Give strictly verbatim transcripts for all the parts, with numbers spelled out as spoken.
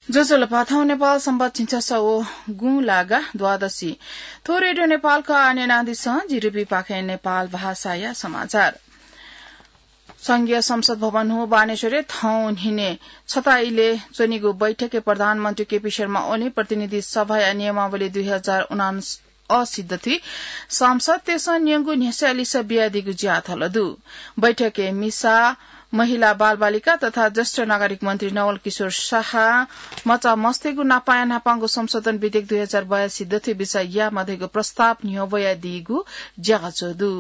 ज्वजलपा, थौं नेपाल संवत् झिंछसः व गुं लागा द्वादशी। थ्व रेडियो नेपालया आन्यनादिसँ जिरुपी पाखें नेपाल भाषाया समाचार। संघीय संसद भवन हु बानेश्वरय् थौं न्हिने छता इलय् च्वनीगु बैठकय् प्रधानमन्त्री केपी शर्मा ओली प्रतिनिधि सभाया नियमावली दुई हजार उनान्स असी दथुइ सांसदतय्सं न्यंगु न्ह्यसः लिसः बियादीगु ज्याझ्वः दु। बैठकय् मिसा, महिला, बालबालिका तथा ज्येष्ठ नागरिक मन्त्री नवल किशोर शाह, मचा मस्तय्गु नापाया न्हापांगु संशोधन विधेयक दुई हजार बयासी दथुइ बिचाः यायेमाः धइगु प्रस्ताव न्ह्यब्वयादीगु ज्याझ्वः दु।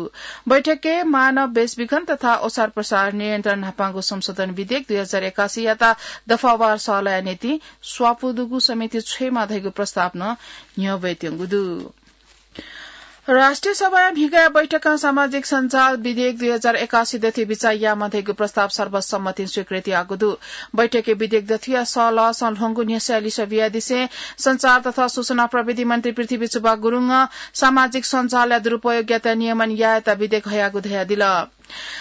बैठकय् मानव बेचबिखन तथा ओसार प्रसार नियन्त्रण न्हापांगु संशोधन विधेयक दुई हजार एकासी यात दफावार सल्लाहया निंतिं स्वापू दुगु समिति छ्वयेमाः धइगु प्रस्ताव नं न्ह्यब्वयातःगु दु। राष्ट्रिय सभाया म्हिगःया बैठकं सामाजिक सञ्जाल विधेयक दुई हजार एकासी दथुइ बिचाः यायेमाः धइगु प्रस्ताव सर्वसम्मतिं स्वीकृत याःगु दु। बैठकय् विधेयक दथुया सल्लाहसं ल्ह्वंगु न्ह्यसः लिसः बियादिसें सञ्चार तथा सूचना प्रविधि मन्त्री पृथ्वी सुब्बा गुरुङं सामाजिक सञ्जालया दुरुपयोगयात नियमन यायेत विधेयक हयागु धयादिल।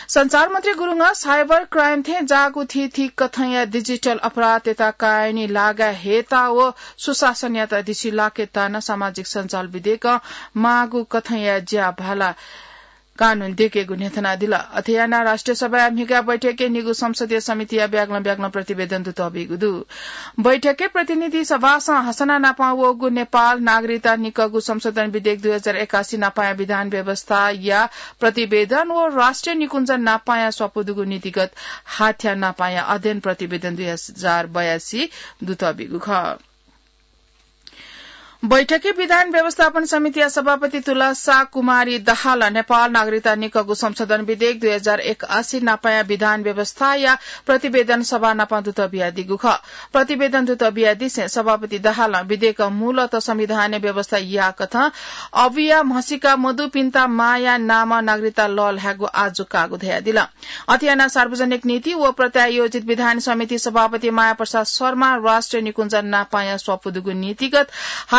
सञ्चार मन्त्री गुरुङं cyber crime थें जाःगु थीथी कथंया digital अपराधयात कायनी लागा हयेत व सुशासनयात दिसिलाकेत नं सामाजिक सञ्जाल विधेयकं माःगु कथंया ज्या भाला कानून दयेकेगु न्ह्यथनादिल। अथे यानाः राष्ट्रिय सभाया म्हिगः बैठकय् निगू संसदीय समितिया ब्यागलं ब्यागलं प्रतिवेदन दुतःबीगु दु। बैठकय् प्रतिनिधि सभासं हसना नापं वःगु नेपाल नागरिकता निकःगु संशोधन विधेयक दुई हजार एकासी नापाया विधान व्यवस्थाया प्रतिवेदन व राष्ट्रिय निकुञ्जन नापाया स्वापू दुगु नीतिगत हाथ्या नापाया अध्ययन प्रतिवेदन दुई हजार बयासी दुतःबीगु खः। बैठकय् विधान व्यवस्थापन समितिया सभापति तुलसा कुमारी दाहालं नेपाल नागरिकता निकःगु संशोधन विधेयक दुई हजार एकासी नापाया विधान व्यवस्थाया प्रतिवेदन सभा नापं दुतःबियादीगु खः। प्रतिवेदन दुतःबियादिसें सभापति दाहालं विधेयकं मूलत संविधानय् व्यवस्था याःकथं अबुया म्हसीका मदुपिन्त मांया नामं नागरिकता लःल्हायेगु आजु काःगु धयादिल। अथे यानाः सार्वजनिक नीति व प्रत्यायोजित विधान समिति सभापति माया प्रसाद शर्मां राष्ट्रिय निकुञ्जन नापाया स्वापू दुगु नीतिगत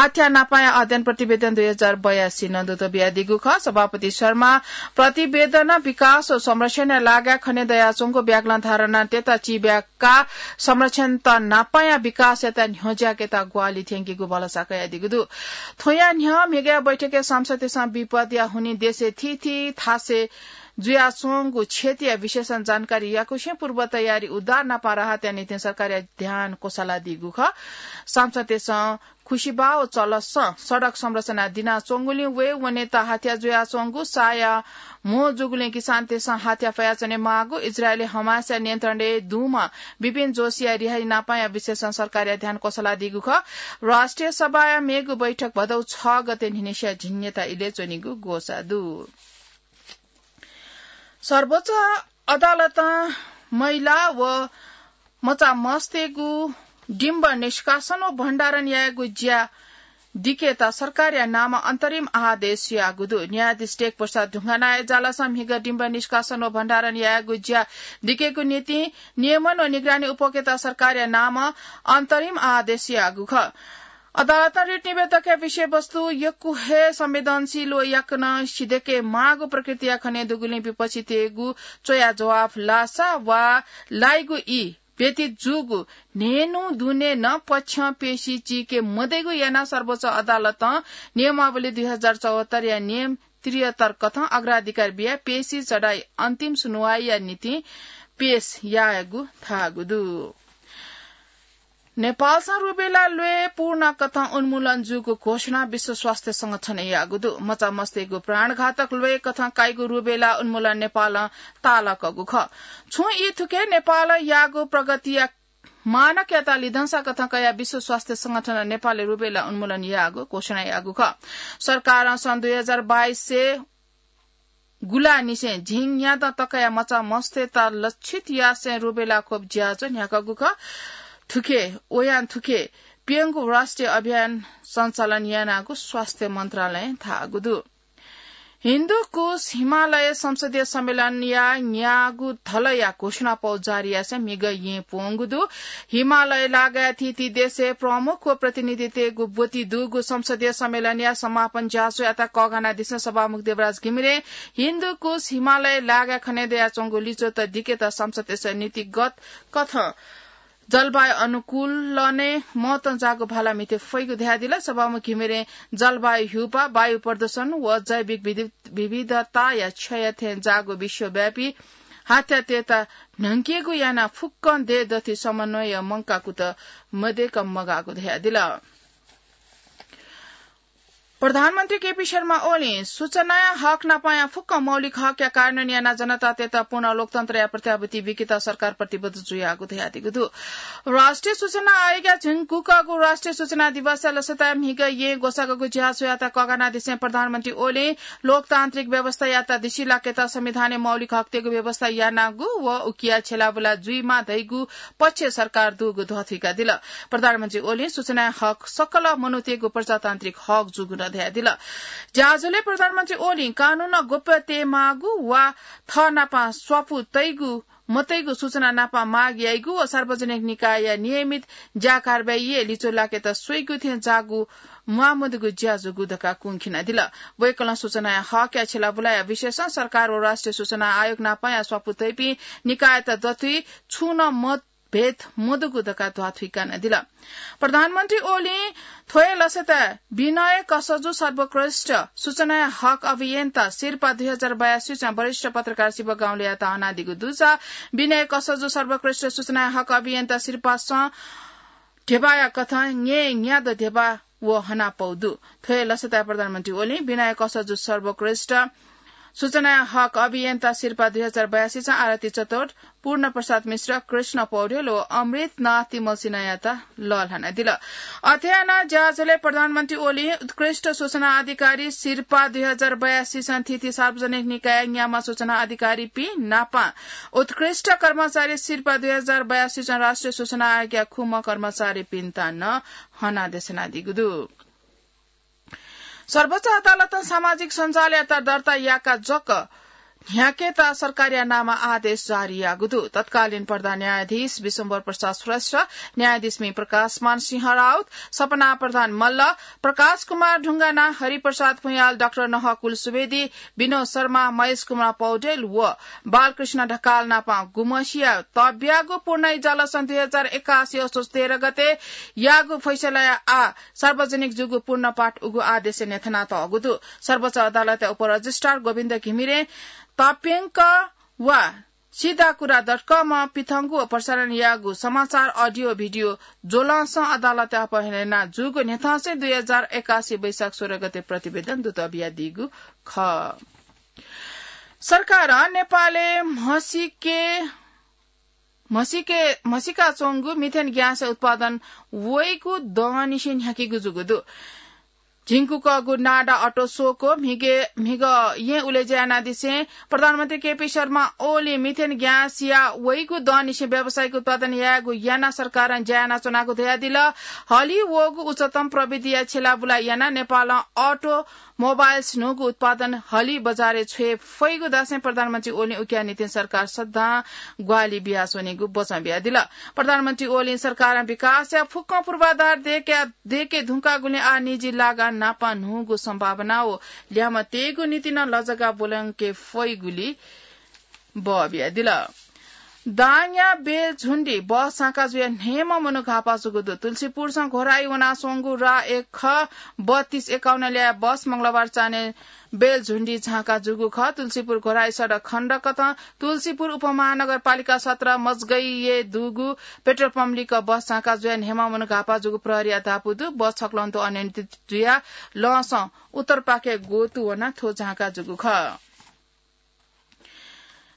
हाथ्या नापाया अध्ययन प्रतिवेदन दुई हजार बयासी नं दुतःबियादीगु खः। सभापति शर्मां प्रतिवेदनं विकास व संरक्षणया लागाय् खने दयाच्वंगु ब्यागलं धारणातय्त चिब्याकाः संरक्षणत नापाया विकासयात न्ह्यज्याकेत ग्वाहालि थ्यंकीगु भलसा कयादीगु दु। थ्वया न्ह्यः म्हिगःया बैठकय् सांसदतय्सं विपदया हुनिं देशय् थीथी थासय् जुयाच्वंगु क्षतिया विशेषं जानकारी याकुसें पूर्व तयारी, उद्धार नापं राहतया निंतिं सरकारया ध्यान क्वसालादीगु खः। सांसदतय्सं खुसिबाः व चलसं सडक संरचना दिनाच्वंगुलिं वये वनेत हाथ्या जुयाच्वंगु, साया म्हो जूगुलिं किसानतय्सं हाथ्या फयाच्वने माःगु, इजरायली हमासया नियन्त्रणय् दुम्ह बिपिन जोशीया रिहाई नापाया विशेषं सरकारया ध्यान क्वसालादीगु खः। राष्ट्रिय सभाया मेगु बैठक भदौ छ गते न्हिनेसिया झिंन्यता इलय् च्वनीगु ग्वसाः दु। सर्वोच्च अदालतं महिला व मचा मस्तय्गु डिम्ब निष्कासन व भण्डारण यायेगु ज्या दिकेत सरकारया नामं अन्तरिम आदेश याःगु दु। न्यायाधीश टेक प्रसाद ढुङ्गानाया जलसं म्हिगः डिम्ब निष्कासन व भण्डारण यायेगु ज्या दिकेगु निंतिं नियमन व निगरानी उपकेत सरकारया नामं अन्तरिम आदेश याःगु खः। अदालतं रिट निवेदकया विषयवस्तु यक्व हे संवेदनशील व याकनं सिधयेके माःगु प्रकृतिया खने दुगुलिं विपक्षीतय्गु च्वया जवाफ लासा वा लाइगु ई व्यतीत जूगु न्हय्न्हु दुने नं पक्षं पेशी चीके मदइगु यानाः सर्वोच्च अदालतं नियमावली दुई हजार चौहत्तरया नियम त्रिहत्तर कथं अग्राधिकार बियाः पेशी चढाइ अन्तिम सुनुवाइया निंतिं पेश यायेगु धाःगु दु। नेपालसं रुबेला ल्वय् पूर्ण कथं उन्मूलन जूगु घोषणा विश्व स्वास्थ्य संगठनं याःगु दु। मचा मस्तय्गु प्राणघातक ल्वय् कथं काइगु रुबेला उन्मूलन नेपालं ताःलाकःगु खः। छुं ई थुके नेपालं याःगु प्रगतिया मानकयात लिधंसा कथं कयाः विश्व स्वास्थ्य संगठनं नेपालय् रुबेला उन्मूलन याःगु घोषणा याःगु खः। सरकारं सन् दुई हजार बाइसय् गुलानिसें झिंन्यादँ तकया मचा मस्तय्त लक्षित यासें रुबेला खोप ज्याझ्वः न्ह्याकागु खः। थुखे वयां थुखे प्यंगू राष्ट्रिय अभियान सञ्चालन यानागु स्वास्थ्य मन्त्रालयं धाःगु दु। हिन्दुकुश हिमालय संसदीय सम्मेलनया न्यागू धलया घोषणापौ जारी यासें म्हिगः येँ प्वंगु दु। हिमालय लागाय् थीथी देशय् प्रमुख व प्रतिनिधितय्गु ब्वति दुगु संसदीय सम्मेलनया समापन ज्याझ्वःयात कःघानादिसें सभामुख देवराज घिमिरें हिन्दुकुश हिमालय लागाय् खने दयाच्वंगु लिच्वःत दिकेत संसदीय नीतिगत कथं जलवायु अनुकूलनय् महत्वं जाःगु भाला म्हिते फइगु धयादिल। सभामुख घिमिरें जलवायु ह्यूपाः, वायु प्रदूषण व जैविक विधि-, विविधताया क्षय थें जाःगु विश्वव्यापी हात्यातय्‌त न्हंकेगु यानाः फुक्कं देय् दथुइ समन्वय मंकाकुत मदय्‌क मगाःगु धयादिल। प्रधानमन्त्री केपी शर्मा ओलीं सूचनाया हक नापंया फुक्क मौलिक हकया कार्यान्वयन यानाः जनतातय्‌त पूर्ण लोकतन्त्रया प्रत्याभूति बीकेत सरकार प्रतिबद्ध जुयागु धयादीगु दु। राष्ट्रिय सूचना आयोगया झिंकुकःगु राष्ट्रिय सूचना दिवसया लसताय् म्हिगः येँ ग्वसाःगःगु ज्याझ्वःयात कःघानादिसें प्रधानमन्त्री ओलीं लोकतान्त्रिक व्यवस्थायात दिसिं लाकेत संविधानय् मौलिक हकतय्‌गु व्यवस्था यानागु व उकिया छेँलाबुला जुइमाः धइगु पक्ष सरकार दुगु ध्वाथुइकादिल। प्रधानमन्त्री ओलीं सूचनाया हक सकल मनूतय्‌गु प्रजातान्त्रिक हक जूगु नं धयादिल। ज्याझ्वलय् प्रधानमन्त्री ओलीं कानूनं गोप्यता तयेमाःगु वा थः नाप स्वापू तइगु मतइगु सूचना नाप माग याइगु व सार्वजनिक निकायया नियमित ज्या कारबाहीइ लिच्वः लाकेत स्वइगु थें जाःगु म्वाःमदुगु ज्या जूगु धकाः कुंखिनादिल। वय्‌कलं सूचनाया हकया छेँलाबुलाया विषयसं सरकार व राष्ट्रिय सूचना आयोग नापंया स्वापू तइपिं निकायत दथुइ छुं नं मतभेद मदुगु धकाः ध्वाथुइकानादिल। प्रधानमन्त्री ओलीं थ्व हे लसताय् विनय कसजु सर्वोत्कृष्ट सूचनाया हक अभियन्ता सिरपाः दुई हजार बयासी वरिष्ठ पत्रकार शिव गाउँलेयात हनादीगु दुसा विनय कसजु सर्वोत्कृष्ट सूचनाया हक अभियन्ता सिरपासं ध्यबाया कथं न्यय् न्यादँ ध्यबा व हनापौ दु। थ्व हे लसताय् प्रधानमन्त्री ओलीं विनय कसजु सर्वोत्कृष्ट सूचनाया हक अभियन्ता सिरपाः दुई हजार बयासी चं आरती चतुर्थ, पूर्ण प्रसाद मिश्र, कृष्ण पौडेल व अमृतनाथ तिमल्सिनायात लःल्हानादिल। अथे यानाः ज्याझ्वलय् प्रधानमन्त्री ओलीं उत्कृष्ट सूचना अधिकारी सिरपाः दुई हजार बयासी चं थीथी सार्वजनिक निकायया न्याम्ह सूचना अधिकारीपिं नाप उत्कृष्ट कर्मचारी सिरपाः दुई हजार बयासी चं राष्ट्रिय सूचना आयोगया खुम्ह कर्मचारीपिन्त नं हनादेशनादीगु दु। सर्वोच्च अदालतं सामाजिक सञ्जालयात दर्ता याकाः जक न्ह्याकेत सरकारया नामं आदेश जारी याःगु दु। तत्कालीन प्रधान न्यायाधीश विश्वम्भर प्रसाद श्रेष्ठ, न्यायाधीशपिं प्रकाशमान सिंह राउत, सपना प्रधान मल्ल, प्रकाश कुमार ढुङ्गाना, हरिप्रसाद भुयाल, डाक्टर नहकुल सुवेदी, विनोद शर्मा, महेश कुमार पौडेल व बालकृष्ण ढकाल नाप गुम्हसिया तब्यागु पूर्ण इजलासं दुई हजार एकासी असोज तेह्र गते याःगु फैसलाया आः सार्वजनिक जूगु पूर्ण पाठ उगु आदेशय् न्ह्यथनातःगु दु। सर्वोच्च अदालतया उपरजिस्ट्रार गोविन्द घिमिरें तप्यंक वा सिधाकुरा डट कमं पिथंगु व प्रसारण याःगु समाचार अडियो भिडियो ज्वलंसं अदालतय् अपहरणय् जूगु न्ह्यथंसें दुई हजार एकासी वैशाख सोह्र गते प्रतिवेदन दुत बियादीगु खः। सरकारं नेपालय् म्हसीके म्हसीके म्हसीका च्वंगु मिथेन ग्यास उत्पादन वइगु दहंनिसें न्ह्याकीगु जूगु दु। झिंकुकःगु नाडा अटो स्वक्वः म्हिगः येँ उलेज्या यानादिसें प्रधानमन्त्री केपी शर्मा ओलीं मिथेन ग्यासया वइगु दहंनिसें व्यावसायिक उत्पादन यायेगु यानाः सरकारं ज्या यानाच्वनागु धयादिल। हलिं वःगु उच्चतम प्रविधिया छेँलाबुला यानाः नेपालं अटो मोबाइल्स न्हूगु उत्पादन हलिं बजारय् छ्वये फइगु धासें प्रधानमन्त्री ओलीं उकिया निंतिं सरकार सदां ग्वाहालि बियाच्वनीगु बचं बियादिल। प्रधानमन्त्री ओलीं सरकारं विकासया फुक्कं पूर्वाधार दयेके, दयेके धुंकाःगुलिं आः निजी लागा नाप न्हूगु सम्भावना व ल्याय्म्ह तयेगु निंतिं नं लजगाः ब्वलंके फइगुली बः बियादिल। दाङया बेलझुण्डी बस झांका जुयाः न्हय्म्ह मनू घाःपाः जूगु दु। तुलसीपुरसं घोराही वनाच्वंगु राः एक ख बत्तीस एकाउन्न ल्याः बस मंगलबार चान्हय् बेलझुण्डी झांका जूगु खः। तुलसीपुर घोराही सडक खण्ड कथं तुलसीपुर उपमहानगरपालिका सत्र मजगैय् दुगु पेट्रोल पम्प लिक्क बस झांका जुयाः न्हय्म्ह मनू घाःपाः जूगु प्रहरीया धापू दु। बस छक्वलं तुं अनियन्त्रित जुयाः लँसं उत्तरपाखे ग्वतु वनाः थ्व झांका जूगु खः।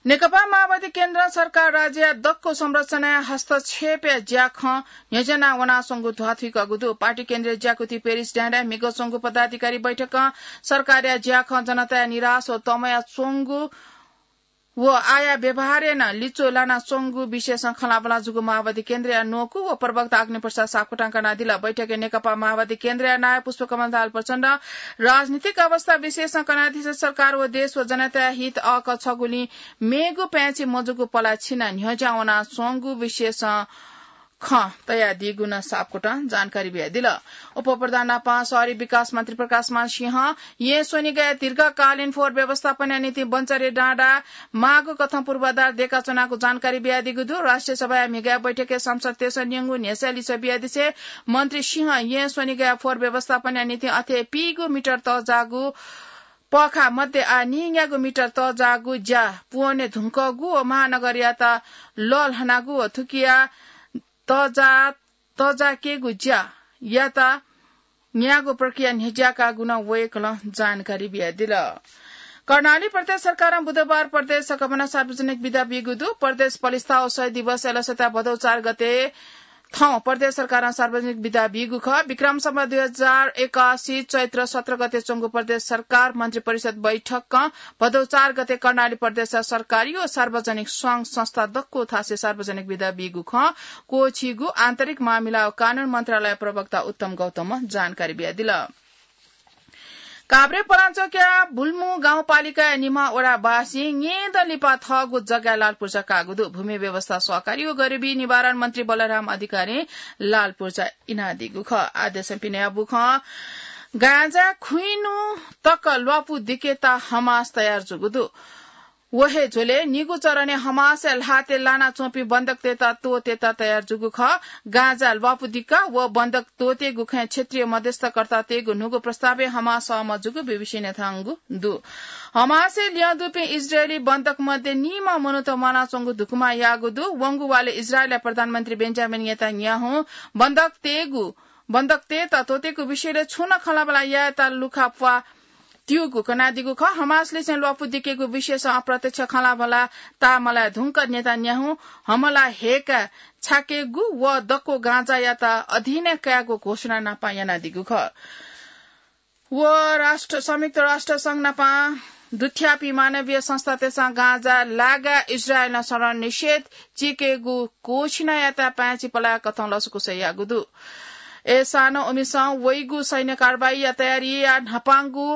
नेकपा माओवादी केन्द्रं सरकार राज्यया दक्व संरचनाय् हस्तक्षेपया ज्याखँ न्ह्यज्याना वनाच्वंगु ध्वाथुइकागु दु। पार्टी केन्द्रीय ज्याकुथि पेरिस डाँडाय् म्हिगः च्वंगु पदाधिकारी बैठकं सरकारया ज्याखँ जनताया निराश व तमया च्वंगु व आःया व्यवहारय् नं लिच्वः लानाच्वंगु विषयसं खँल्हाबल्हा जूगु माओवादी केन्द्रया न्वकू व प्रवक्ता अग्निप्रसाद सापकोटां कनादिल। बैठकय् नेकपा माओवादी केन्द्रया नायः पुष्पकमल दाहाल प्रचण्डं राजनीतिक अवस्था विषयसं कनादिसें सरकार व देश व जनताया हित अःकः छगुलिं मेगु पाय्छि मजूगु पला छिनाः न्ह्यज्यां वनाच्वंगु विषयसं खँ तयादीगु नं सापकोटं जानकारी बियादिल। उपप्रधान नापं शहरी विकास मन्त्री प्रकाशमान सिंहं येँ स्वनिगय् दीर्घकालीन फोहोर व्यवस्थापनया निंतिं बञ्चरे डाँडा माःगु कथं पूर्वाधार दयेकाच्वनागु जानकारी बियादीगु दु। राष्ट्रिय सभाया म्हिगः बैठकय् संसद तेसं न्यंगू न्ह्यसः लिसः बियादिसे मन्त्री सिंहं येँ स्वनिगय् फोहोर व्यवस्थापनया निंतिं अथे पीगू मिटर तःजाःगु पःखाः मध्ये आः निंग्यागू मिटर तःजाःगु ज्या पूवने धुंकःगु व महानगरयात लःल्हानागु व थुकिया तःजा-, तःजाकेगु ज्यायात न्यायेगु प्रक्रिया न्ह्यज्याकागु नं वय्कलं जानकारी बियादिल। कर्णाली प्रदेश सरकारं बुधबार प्रदेश सकभनं सार्वजनिक बिदा बीगु दु। प्रदेश पलिस्था व शहीद दिवस एलसता भदौ चार गते थौं प्रदेश सरकारं सार्वजनिक बिदा बीगु खः। विक्रम सम्वत दुई हजार एकासी चैत्र सत्र गते च्वंगु प्रदेश सरकार मन्त्री परिषद बैठकं भदौ चार गते कर्णाली प्रदेशया सरकारी व सार्वजनिक संघ संस्था दक्व थासय् सार्वजनिक बिदा बीगु खँ क्वःछीगु आन्तरिक मामिला व कानून मन्त्रालय प्रवक्ता उत्तम गौतमं जानकारी बियादिल। काभ्रे पलाञ्चोकया बुल्मु गाउँपालिकाया निम्ह वडावासीं न्येदँ लिपा थःगु जग्गाय् लालपुर्जा काःगु दु। भूमि व्यवस्था सहकारी व गरिबी निवारण मन्त्री बलराम अधिकारीं लालपुर्जा इनादीगु खः। आदेशं पिने अबु खँ गाँजा खुइन्हु तक ल्वापु दिकेत हमास तयार जूगु दु। व हे झ्वलय् निगू चरणय् हमासया ल्हातय् लानाच्वंपिं बन्धकतय्त त्वःतेत तयार जूगु खः। गाँजा ल्वापु दिका व बन्धक त्वःतेगु खँय् क्षेत्रीय मध्यस्थकर्तातय्गु न्हूगु प्रस्तावय् हमास सहमत जूगु बीबीसीं न्यनातःगु दु। हमासय् लिहां दुपिं इजरायली बन्धक मध्ये निम्ह मनूत म्वानाच्वंगु धुकुमा याःगु दु। वंगु वालय् इजरायलया प्रधानमन्त्री बेन्जामिन नेतान्याहुं बन्धकतय्गु, बन्धकतय्त त्वःतेगु विषयलय् छुं नं खँल्हाबल्हा यायेत लुखा प्वाः त्यूगु कनादीगु खः। हमासलिसें ल्वापु दिकेगु विषयसं अप्रत्यक्ष खँल्हाबल्हा ताःमलाये धुंकः नेतान्याहुं हमला हयेकाः छाकेगु व दक्व गाँजायात अधीनय् कायेगु घोषणा नापं यानादीगु खः। व राष्ट्र, संयुक्त राष्ट्र संघ नापं दुथ्याःपिं मानवीय संस्थातय्सं गाँजा लागाय् इजरायलं शरण निषेध चीकेगु घोषणायात पाय्छि पलाय्कथं लसकुस याःगु दु। अय्सां नं उमिसं वइगु सैन्य कारवाहीया तयारीया न्हापांगु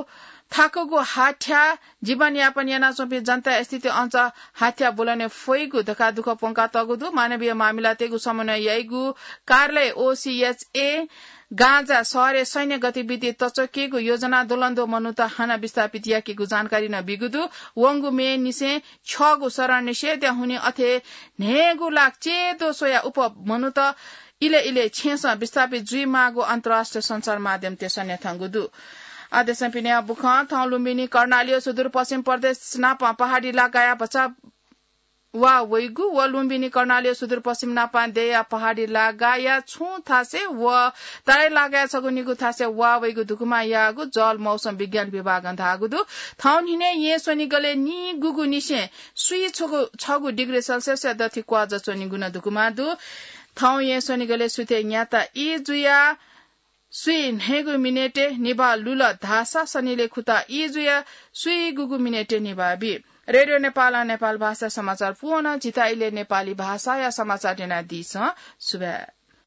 थाकुगु हाथ्या जीवनयापन यानाच्वंपिं जनताया स्थिति अझ हाथ्या ब्वलने फइगु धकाः दुःख प्वंकातःगु दु। मानवीय मामिलातय्गु समन्वय याइगु कार्यालय ओसीएचए गाँजा शहरय् सैन्य गतिविधि तच्वकेगु योजना द्वलंद्वः मनूत हानं विस्थापित याकेगु जानकारी नं बीगु दु। वंगु मेनिसें छ्यःगु शरण निषेधया हुनिं अथे न्हय्गू लाख च्येद्वः स्वयाः उप मनूत इलय् इलय् छेँसं विस्थापित जुइमाःगु अन्तर्राष्ट्रिय सञ्चार माध्यमतय्सं न्यनातःगु दु। आदेशं पिने अबु खँ थौं लुम्बिनी कर्णाली व सुदूरपश्चिम प्रदेश नापं पहाडी लागाया भचा वा वइगु व लुम्बिनी कर्णाली व सुदूरपश्चिम नापं देया पहाडी लागाया छुं थासय् व तराई लागाया छगू निगू थासय् वा वइगु धुकुमा याःगु जल मौसम विज्ञान विभागं धाःगु दु। थौं न्हिनय् येँ स्वनिगलय् निगूगु निसें स्वीछगू, छगू डिग्री सेल्सियसया दथि क्वाःजा च्वनीगु नं धुकुमा दु। थौं येँ स्वनिगलय् सुथय् न्याता ई जुयाः स्वीन्हय्गू मिनेटय् निभाः लुल धाःसा सनिलय् खुता ई जुयाः स्वीगूगु मिनेटय् निभाः बी। रेडियो नेपालं नेपाल भाषा समाचार पूवं जिता इलय् नेपाली भाषाया समाचार न्यनादीसं सुभाय्।